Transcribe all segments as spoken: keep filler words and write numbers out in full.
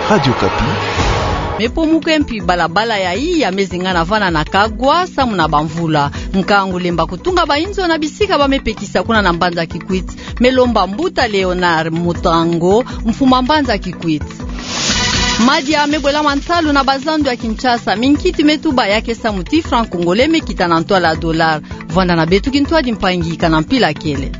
Radio Okapi. Mepomuke mpi balabala ya iya mezingana vana na Kagwa, samu na bamvula. Nkangu lemba kutunga bainzo na bisika bamepekisa kuna na mbanza Kikwit, melomba Mbuta Léonard Mutango, mfuma mbanza Kikwit. Madia mebwela mantalu na bazando ya Kinshasa, minkiti metuba ya ke samu ti franc congolais mekita na ntwala dollar. Vwanda na beto kintwadi mpangi kana mpila kele.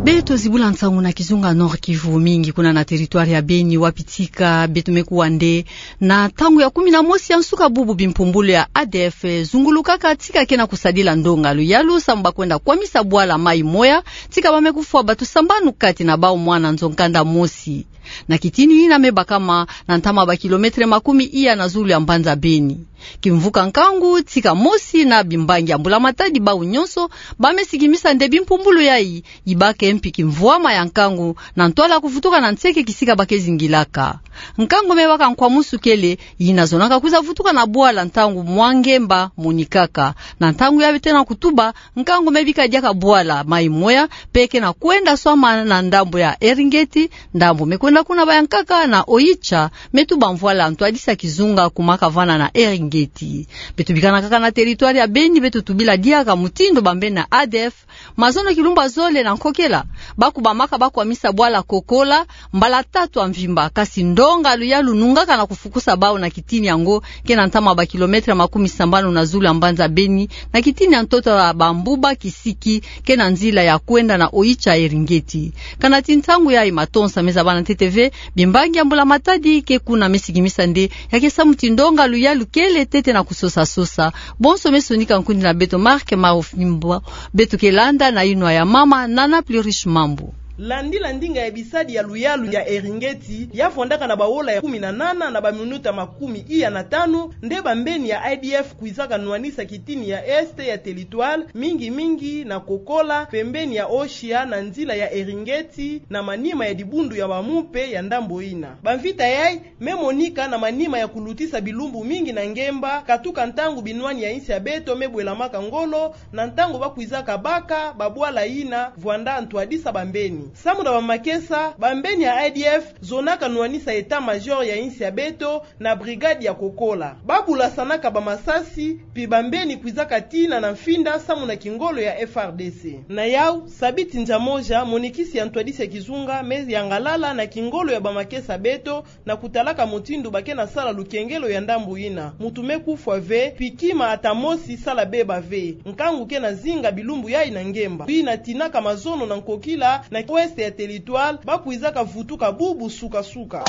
Beto zibula nsangu na kizunga Nord-Kivu, mingi kuna na territoire ya Beni, wapi tika beto mekuwa nde na ntangu ya kumi na mosi ya nsuka bubu bimpumbulu ya A D F zungulukaka tika ke na kusadila ndonga luyalu samu bakwenda kwamisa bwala mai moya, tika bamekufwa bato sambanu, kati na bau mwana nzo nkanda mosi. Na kitini ina mebakama na ntama ba kilometre makumi iya na zulu ya mbanza Beni. Kimvuka nkangu tika mosi na bimbangi ya mbula matadi bau nyonso bamesikimisa nde bimpumbulu yayi ibake mpi kimvwama ya nkangu na ntwala kuvutuka na nseke kisika bakezingilaka. Nkangu mebaka nkwamusu kele, ina zonaka kwiza vutuka na bwala ntangu mwa ngemba monikaka. Na ntangu ya beto na kutuba, nkangu mebika diaka bwala mai moya, mpe ke na kwenda swama na ndambo ya Eringeti, ndambo mekwenda kuna bayankaka na Oicha, metuba mvwala ntwadisa kizunga kumaka vana na Eringeti. Beto bikana kaka na territoire ya Beni, beto tubila diaka mutindu bambeni na A D F, mazono kilumbu zole na nkokela, bakubamaka bakwamisa bwala Kokola, mbala tatu ya mvimba, kasi ndonga luyalu nungaka na kufukusa bau na kitini yango, ke na ntama ba kilometre makumi sambanu na zulu ya mbanza Beni, na kitini ya ntoto ya Bambuba Kisiki, ke na nzila ya kwenda na Oicha Eringeti. Kana ti ntangu yayi matonsa meza bana ntete ve, bimbangi ya mbula matadi ke kuna mesikimisa nde ya ke samu ti ndonga luyalu kele ntete na kusosa-sosa. Bonso mesonika nkundi na beto Marc Maofimbo, beto ke landa na inwa ya mama Nana Plurish Mambu. Landila ndinga ya bisadi ya luyalu ya Eringeti, ya vwandaka na baola ya kumi na nana na baminuta makumi iya na tanu, nde bambeni ya A D F kwizaka nwanisa kitini ya est ya territoire, mingi-mingi na Kokola, pembeni ya Oicha na nzila ya Eringeti, na manima ya dibundu ya bamumpe ya ndambo ina. Bamvita yayi memonika na manima ya kulutisa bilumbu mingi na ngemba, katuka ntangu binwani ya insi ya beto mebwelamaka ngolo, na ntangu bakwizaka baka babwala ina vwanda ntwadisa bambeni. Samu na bamakesa, bambeni ya A D F zonaka nwanisa état-major ya insi ya beto na brigade ya Kokola. Babulasanaka bamasasi, mpi bambeni kwizaka tina na mfinda samu na kingolo ya F R D C. Na yau, sabiti nza moja, monikisi ya ntwadisi ya kizunga meyangalala na kingolo ya bamakesa beto, na kutalaka mutindu ba ke na sala lukengelo ya ndambu ina. Muntu mekufwa ve, mpi kima ata mosi sala beba ve. Nkangu ke na zinga bilumbu yayi na ngemba. Ina tinaka mazono na nkokila na ouest ya territoire, bakwizaka vutuka bubu suka-suka.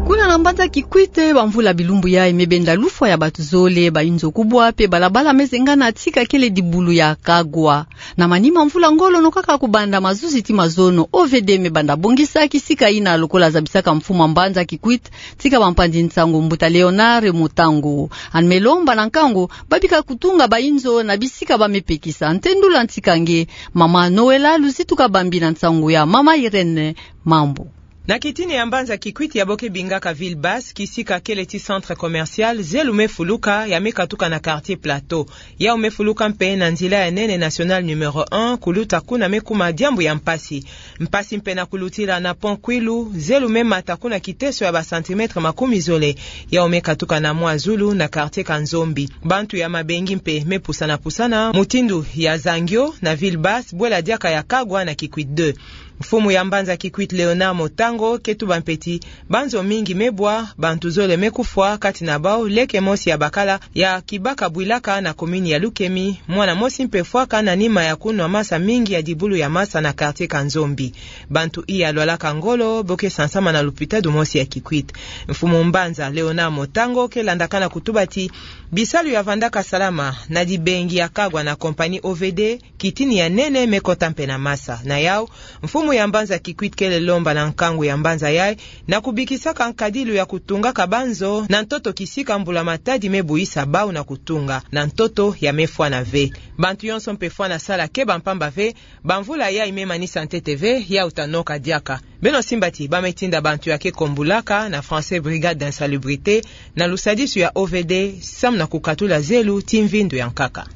Kuna na mbanza Kikwit, bamvula bilumbu yayi mebenda lufwa ya bato zole, bainzo kubwa, mpe balabala mezengana tika kele dibulu ya Kagwa. Na manima mvula ngolo nokaka kubanda mazuzi ti mazono, O V D mebanda bongisa kisika ina lokola zabisaka mfumu a mbanza Kikwit tika bampanzi nsangu Mbuta Léonard Mutango. Ani melomba na nkangu babika kutunga bainzo na bisika bamepekisa. Ntendula ntika nge, mama Noëlla Luzitu Kabambi na nsangu ya mama Irène Mambu. Na kitini ya mbanza Kikwit ya bo ke bingaka Ville Basse, kisika kele ti centre commercial, zelu mefuluka, ya mekatuka na quartier Plateau. Yau mefuluka mpe na nzila ya nene nationale numéro un, kuluta kuna mekuma diambu ya mpasi. Mpasi mpe na kulutila na pont Kwilu, zelu memata kuna kiteso ya ba centimètres makumi zole. Yau mekatuka na mwa zulu na quartier Kanzombi. Bantu ya mabengi mpe mepusana-pusana, mutindu ya Zangio na Ville Basse, bwela diaka ya Kagwa na Kikwit deux. Mfumu ya mbanza Kikwit Léonard Mutango ke tuba mpe ti banzo mingi mebwa, bantu zole mekufwa, kati na bau leke mosi ya bakala ya Kibaka Bwilaka na commune ya Lukemi, mwana mosi mpe fwaka na nima ya kunwa masa mingi ya dibulu ya masa na quartier Kanzombi. Bantu iya lwalaka ngolo bo ke sansama na lupitalu mosi ya Kikwit. Mfumu mbanza Léonard Mutango ke landakana kutuba ti bisalu ya vandaka salama na dibengi ya Kagwa na compagnie O V D, kitini ya nene mekota mpe na masa. Na yau, mfumu ya mbanza Kikwit kele lomba na nkangu ya mbanza yayi na kubikisaka nkadilu ya kutungaka banzo na ntoto kisika mbula matadi mebuyisa bau na kutunga, na ntoto ya mefwana ve. Bantu yonso mpe fwana sala keba mpamba ve, bamvula yayi memanisa ntete ve, yau ta noka diaka. Beno simba ti bametinda bantu ya ke kombulaka na français brigade d'insalubrité, na lusadisu ya O V D, samu na kukatula zelu ti mvindu ya nkaka.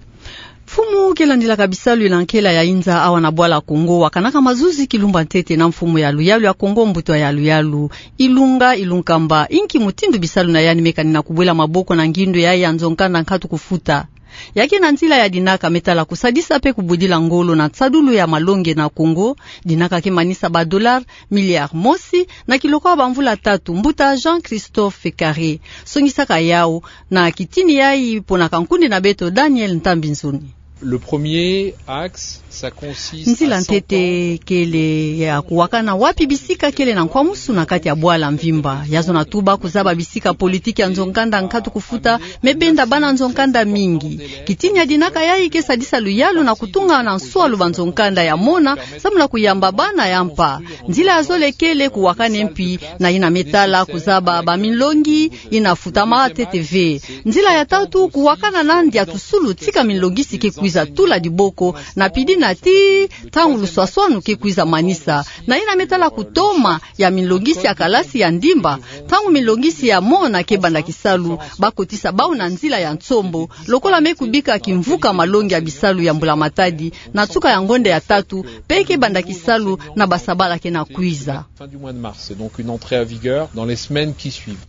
Mfumu ke landilaka bisalu na nkela ya inza awa na bwala Kongo wakanaka mazuzi kilumbu ya ntete na mfumu ya luyalu ya Kongo, mbuta ya luyalu Ilunga Ilunkamba, inki mutindu bisalu na yandi me kanina kubwela maboko na ngindu ya ya nzo nkanda nkatu kufuta. Ya ke na nzila ya dinaka me tala kusadisa mpe kubudila ngolo na nsadulu ya malongi na Kongo. Dinaka ke manisa ba dollars milliard mosi na kilokwa bamvula tatu. Mbuta Jean-Christophe Carré songisaka yawu na kitini yayi mpo na kankundi na beto Daniel Ntambi-Nzoni. Le premier axe, ça consiste... Nzila ntete kele ya kuwakana wapi bisika kele na nkwamusu na kati ya bwala mvimba. Ya zona tuba kuzaba bisika politiki ya nzo nkanda nkatu kufuta me benda bana nzo nkanda mingi. Kitini ya dinaka yayi ke sadisa luyalu na kutunga na nswalu ba nzo nkanda ya mona, samu na kuyamba bana ya mpa. Nzila ya zole kele kuwakana mpi na yina me tala kuzaba ba minlongi yina futama ntete ve. Nzila ya tatu, kuwakana na ndia tusulu tika minlongisi ke kwiza tula diboko na pidi na tii ntangu luswaswanu ke kwiza manisa. Na yina me tala kutoma ya minlongisi ya kalasi ya ndimba, ntangu minlongisi ya mona ke banda kisalu, ba kotisa bawu na nzila ya nsombo, lokola me kubika kimvuka malongi ya bisalu ya mbula matadi, na nsuka ya ngonda ya tatu, mpe ke banda kisalu na basabala ke na kwiza. Fin du mois de mars, donc une entrée à vigueur dans les semaines qui suivent.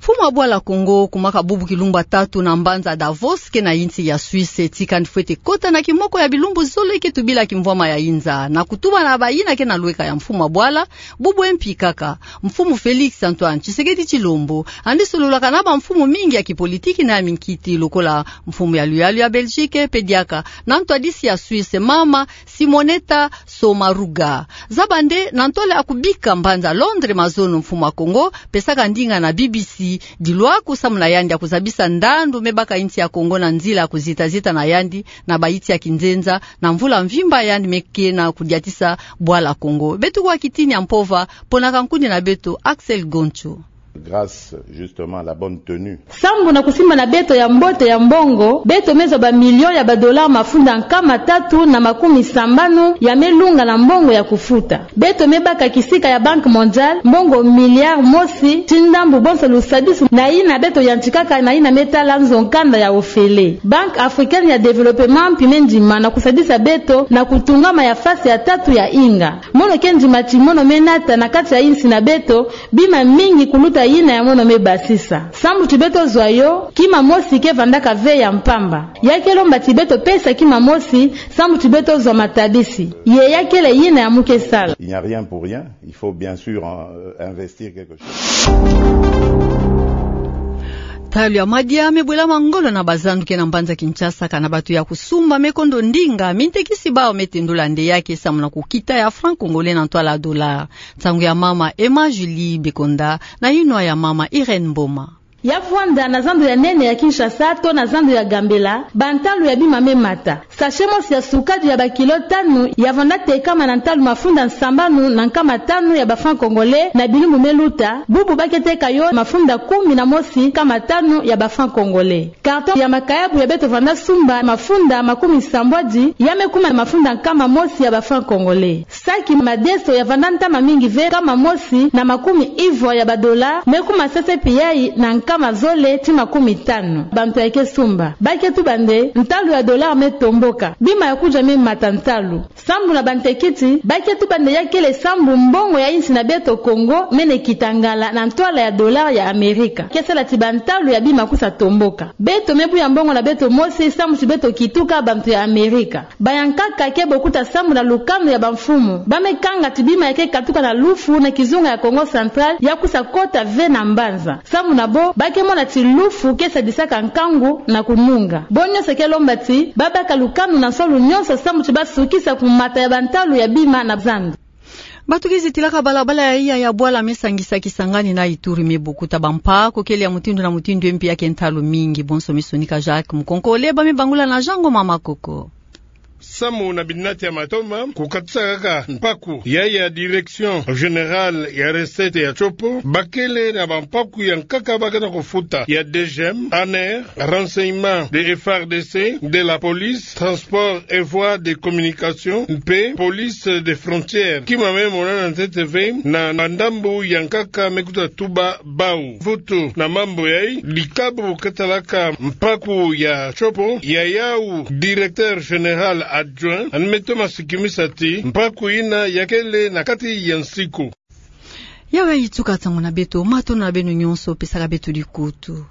Mfumu wa bwala Kongo kumaka bubu kilumbu ya tatu na mbanza Davos ke na insi ya Suisse, tika yandi fwete kota na kimoko ya bilumbu zole ke tubila kimvwama ya inza, na kutuba na bayina ke na lweka ya mfumu wa bwala. Bubu mpi kaka, mfumu Félix Antoine Tshisekedi Tshilombo, yandi sololaka na bamfumu mingi ya kipolitiki na ya minkiti, lokola mfumu ya luyalu ya Belgique, mpe diaka na ntwadisi ya Suisse, mama Simonetta Sommaruga. Zaba nde na ntwala ya kubika mbanza Londres mazono, mfumu wa Kongo pesaka ndinga na B B C dilwaku samu na yandi ya kuzabisa ndandu me baka insi ya Kongo na nzila ya kuzitazita na yandi na bayinsi ya kinzenza na mvula mvimba yandi me ke na kudiatisa bwala Kongo. Beto kwa kitini ya mpova, mpo na kankundi na beto Axel Goncho. Grâce justement à la bonne tenue. Sambu na kusimba na beto ya mbote ya mbongo, beto me zwa ba millions ya ba dollars mafunda nkama tatu na makumi sambanu ya me lunga na mbongo ya kufuta. Beto me baka kisika ya Banque Mondiale mbongo milliard mosi ti ndambu bonso lusadisu na yina beto yantikaka na yina me tala nzo nkanda ya ofele. Banque Africaine ya Développement mpi me ndima na kusadisa beto na kutungama ya fasi ya tatu ya inga. Mono ke ndima ti mono me nata na kati ya insi na beto bima mingi kuluta yina ya mono me basisa. Sambu ti beto zwa yo, kima mosi ke vandaka ve ya mpamba. Ya ke lomba ti beto pesa kima mosi, sambu ti beto zwa matabisi. Ye ya kele yina ya mu ke sala. Il n'y a rien pour rien. Il faut bien sûr, euh, investir quelque chose. Ntalu ya madia me bwela ma ngolo na bazandu ke na mbanza Kinshasa, kana bato ya kusumba me kondo ndinga mintekisi bawu me tendula nde ya ke samu na kukita ya franc congolais na ntwala dollar. Nsangu ya mama Emma Julie Bekonda na yinwa ya mama Irène Mboma. Ya vwanda na zandu ya nene ya Kinshasa to na zandu ya Gambela, ba ntalu ya bima me mata. Sachet mosi ya sukadi ya ba kilo tanu ya vanda tekama na ntalu mafunda sambanu na nkama tanu ya ba franc congolais na bilumbu me luta, bubu ba ke teka yo mafunda kumi na mosi nkama tanu ya ba franc congolais. Carton ya makayabu ya beto vanda sumba mafunda makumi sambwadi, ya me kuma mafunda nkama mosi ya ba franc congolais. Saki madeso ya vanda ntama mingi ve nkama mosi na makumi ivwa ya ba dollars, me kuma sese pi yayi na nkama zole ti makumi tanu. Bantu ya ke sumba ba ke tuba nde ntalu ya dollar me tomboka, bima ya kudia me mata ntalu. Sambu na bantekiti, ba ke tuba nde ya kele sambu mbongo ya insi na beto Kongo mene kita ngala na ntwala ya dollar ya Amerika ke sala ti ba ntalu ya bima kusa tomboka. Beto me buya mbongo na beto mosi sambu ti beto kituka bantu ya Amerika. Bayankaka ke bokuta sambu na lukanu ya bamfumu. Ba me kanga ti bima ya ke katuka na lufu na kizunga ya Kongo Central ya kusa kota ve na mbanza. Sambu na bo, ba ke mona ti lufu ke sadisaka nkangu na kununga. Bo nyonso ke lomba ti ba baka lukanu na nswalu nyonso sambu ti ba sukisa kumata ya ba ntalu ya bima na zandu. Bato ke zitilaka balabala ya iya ya bwala me sangisa Kisangani na Ituri me bokuta bampa ko kele ya mutindu na mutindu, mpi ya ke ntalu mingi. Bonso me sonika Jacques Mukonkole, ba me bangula na Jean Ngoma Makoko. Samu na binati ya matoma, kukatisa kaka mpaku ya ya Direction Générale ya Recettes ya Tshopo, bakele na bampaku ya nkaka bakana kufuta ya DGM, ANR, Renseignement de F R D C, de la Police, Transport et Voies de Communication, mpe Police des Frontières. Kima me monana ntete ve na ndambu ya nkaka me kuta tuba bau. Vutu na mambu yayi, dikabu katalaka mpaku ya Tshopo, ya yau Directeur Général Adjoint, Anme Thomas Kimisa ti, mpaku ina yakele na kati ya nsiku. Yawe ituka ntangu na beto, matondo na beno nyonso, pesaka beto dikutu.